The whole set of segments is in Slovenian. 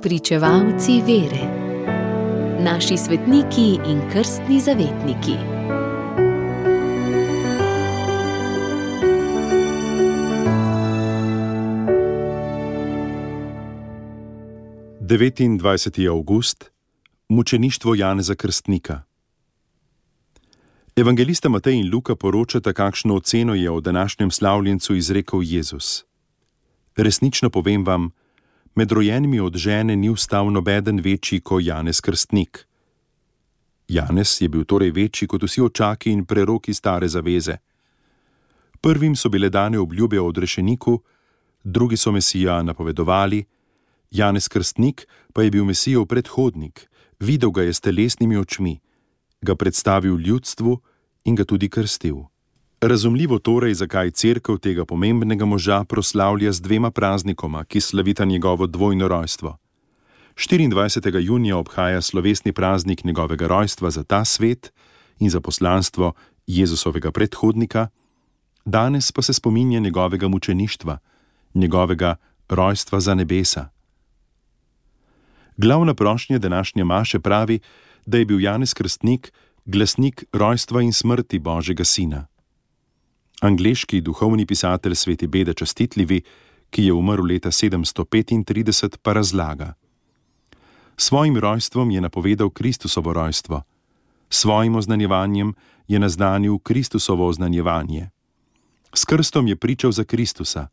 Pričevalci vere. Naši svetniki in krstni zavetniki. Devetindvajseti avgust, mučeništvo Janeza Krstnika. Evangelista Matej in Luka poročata, kakšno oceno je o današnjem slavljencu izrekel Jezus. Resnično povem vam, med rojenimi od žene ni vstal nobeden večji kot Janez Krstnik. Janez je bil torej večji kot vsi očaki in preroki stare zaveze. Prvim so bile dane obljube o odrešeniku, drugi so Mesija napovedovali, Janez Krstnik pa je bil Mesijev predhodnik, videl ga je s telesnimi očmi, ga predstavil ljudstvu in ga tudi krstil. Razumljivo torej, zakaj cerkev tega pomembnega moža proslavlja z dvema praznikoma, ki slavita njegovo dvojno rojstvo. 24. junija obhaja slovesni praznik njegovega rojstva za ta svet in za poslanstvo Jezusovega predhodnika, danes pa se spominja njegovega mučeništva, njegovega rojstva za nebesa. Glavna prošnja današnje maše pravi, da je bil Janez Krstnik glasnik rojstva in smrti Božjega sina. Angleški duhovni pisatelj Sveti Beda Častitljivi, ki je umrl leta 735, pa razlaga: svojim rojstvom je napovedal Kristusovo rojstvo, svojim oznanjevanjem je naznanil Kristusovo oznanjevanje. S krstom je pričal za Kristusa.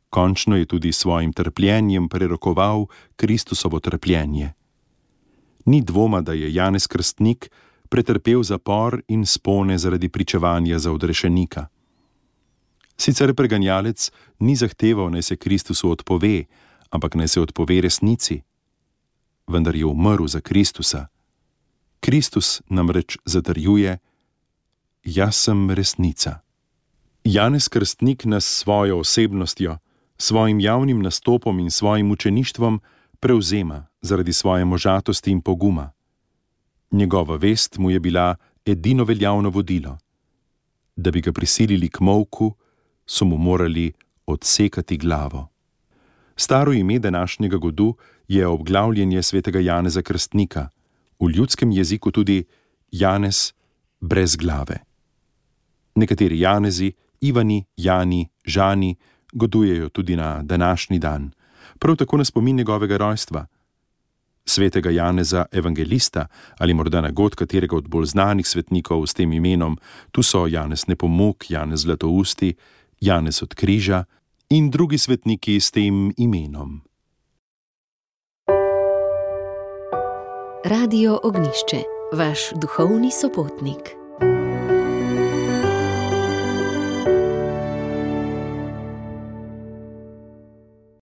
Končno je tudi svojim trpljenjem prerokoval Kristusovo trpljenje. Ni dvoma, da je Janez Krstnik pretrpel zapor in spone zaradi pričevanja za odrešenika. Sicer preganjalec ni zahteval, naj se Kristusu odpove, ampak naj se odpove resnici. Vendar je umrl za Kristusa. Kristus namreč zatrjuje: jaz sem resnica. Janez Krstnik nas s svojo osebnostjo, svojim javnim nastopom in svojim učeništvom prevzema zaradi svoje možatosti in poguma. Njegova vest mu je bila edino veljavno vodilo. Da bi ga prisilili k molku, so mu morali odsekati glavo. Staro ime današnjega godu je obglavljenje svetega Janeza Krstnika, v ljudskem jeziku tudi Janez brez glave. Nekateri Janezi, Ivani, Jani, Žani godujejo tudi na današnji dan, prav tako na spomin njegovega rojstva. Svetega Janeza Evangelista ali morda na god katerega od bolj znanih svetnikov s tem imenom, tu so Janez Nepomuk, Janez Zlatousti, Janez od Križa in drugi svetniki s tem imenom. Radio Ognjišče, vaš duhovni sopotnik.